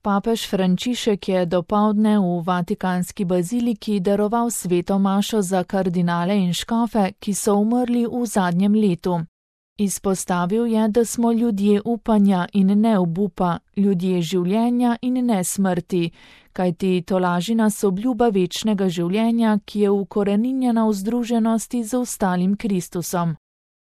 Papež Frančišek je dopoldne v Vatikanski baziliki daroval sveto mašo za kardinale in škofe, ki so umrli v zadnjem letu. Izpostavil je, da smo ljudje upanja in ne obupa, ljudje življenja in ne smrti, kajti tolaži nas obljuba večnega življenja, ki je ukoreninjena v združenosti z ostalim Kristusom.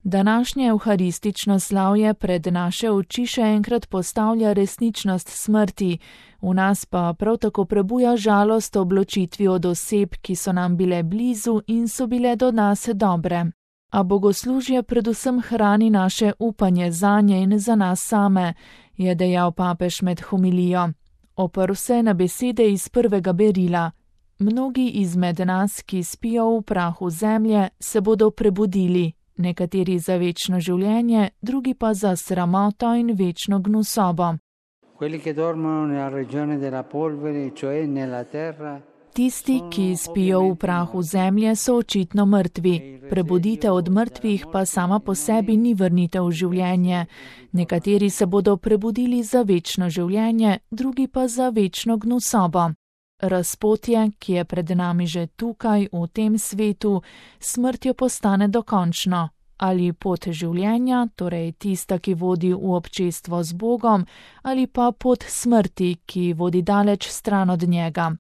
Današnje evharistično slavje pred naše oči še enkrat postavlja resničnost smrti, v nas pa prav tako prebuja žalost ob ločitvi od oseb, ki so nam bile blizu in so bile do nas dobre. A bogoslužje predvsem hrani naše upanje zanje in za nas same, je dejal papež med homilijo. Oprl se na besede iz prvega berila. Mnogi izmed nas, ki spijo v prahu zemlje, se bodo prebudili, nekateri za večno življenje, drugi pa za sramoto in večno gnusobo. Tisti, ki spijo v prahu zemlje, so očitno mrtvi. Prebuditev od mrtvih pa sama po sebi ni vrnitev v življenje. Nekateri se bodo prebudili za večno življenje, drugi pa za večno gnusobo. Razpotje, ki je pred nami že tukaj, v tem svetu, smrtjo postane dokončno. Ali pot življenja, torej tista, ki vodi v občestvo z Bogom, ali pa pot smrti, ki vodi daleč stran od njega.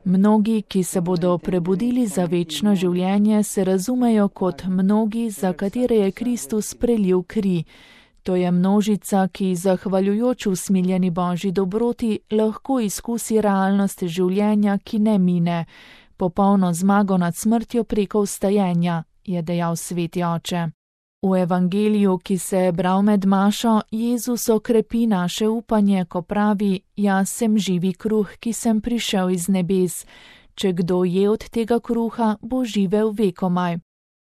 Mnogi, ki se bodo prebudili za večno življenje, se razumejo kot mnogi, za katere je Kristus prelil kri. To je množica, ki zahvaljujoč usmiljeni Božji dobroti lahko izkusi realnost življenja, ki ne mine, popolno zmago nad smrtjo preko vstajenja, je dejal sveti oče. V evangeliju, ki se je bral med mašo, Jezus okrepi naše upanje, ko pravi: Jaz sem živi kruh, ki sem prišel iz nebes. Če kdo je od tega kruha, bo živel vekomaj.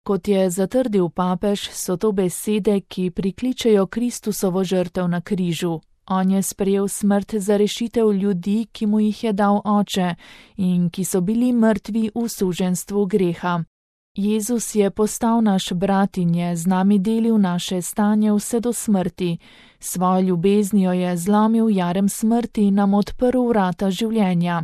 Kot je zatrdil papež, so to besede, ki prikličejo Kristusovo žrtev na križu. On je sprejel smrt za rešitev ljudi, ki mu jih je dal oče in ki so bili mrtvi v suženjstvu greha. Jezus je postal naš brat in je z nami delil naše stanje vse do smrti. Svojo ljubeznijo je zlomil jarem smrti in nam odprl vrata življenja.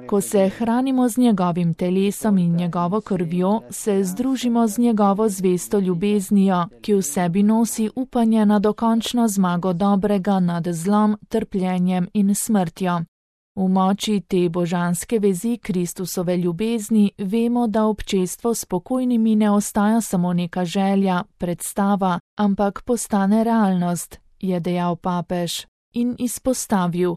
Ko se hranimo z njegovim telesom in njegovo krvjo, se združimo z njegovo zvesto ljubeznijo, ki v sebi nosi upanje na dokončno zmago dobrega nad zlom, trpljenjem in smrtjo. V moči te božanske vezi Kristusove ljubezni vemo, da občestvo s pokojnimi ne ostaja samo neka želja, predstava, ampak postane realnost, je dejal papež in izpostavil.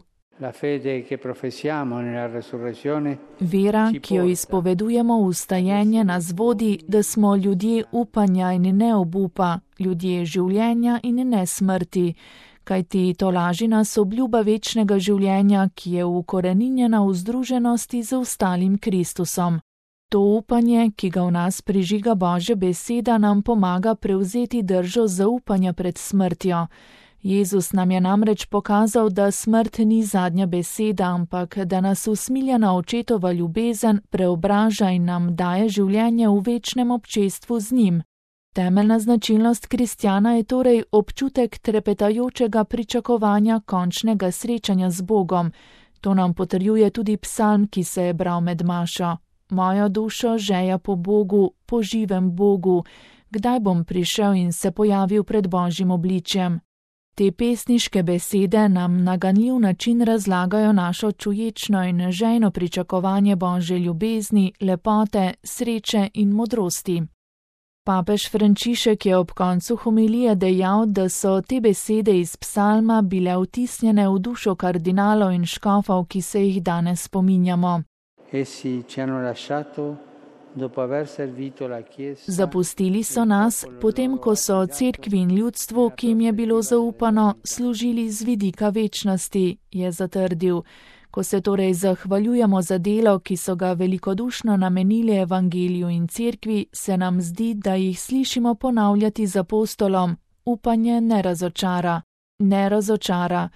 Vera, ki jo izpovedujemo v vstajenje, nas vodi, da smo ljudje upanja in ne obupa, ljudje življenja in ne smrti, kajti tolaži nas obljuba večnega življenja, ki je ukoreninjena v združenosti z ostalim Kristusom. To upanje, ki ga v nas prižiga Božja beseda, nam pomaga prevzeti držo zaupanja pred smrtjo. Jezus nam je namreč pokazal, da smrt ni zadnja beseda, ampak da nas usmiljena očetova ljubezen preobraža in nam daje življenje v večnem občestvu z njim. Temeljna značilnost kristjana je torej občutek trepetajočega pričakovanja končnega srečanja z Bogom. To nam potrjuje tudi psalm, ki se je bral med mašo. Mojo dušo žeja po Bogu, po živem Bogu, kdaj bom prišel in se pojavil pred Božjim obličjem. Te pesniške besede nam na ganljiv način razlagajo našo čuječno in žejno pričakovanje Božje ljubezni, lepote, sreče in modrosti. Papež Frančišek je ob koncu homilije dejal, da so te besede iz psalma bile vtisnjene v dušo kardinalov in škofov, ki se jih danes spominjamo. Zapustili so nas, potem ko so cerkvi in ljudstvu, ki jim je bilo zaupano, služili z vidika večnosti, je zatrdil. Ko se torej zahvaljujemo za delo, ki so ga velikodušno namenili evangeliju in cerkvi, se nam zdi, da jih slišimo ponavljati z apostolom: upanje ne razočara. Ne razočara,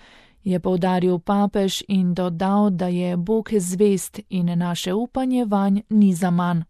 je poudaril papež in dodal, da je Bog zvest in naše upanje vanj ni zaman.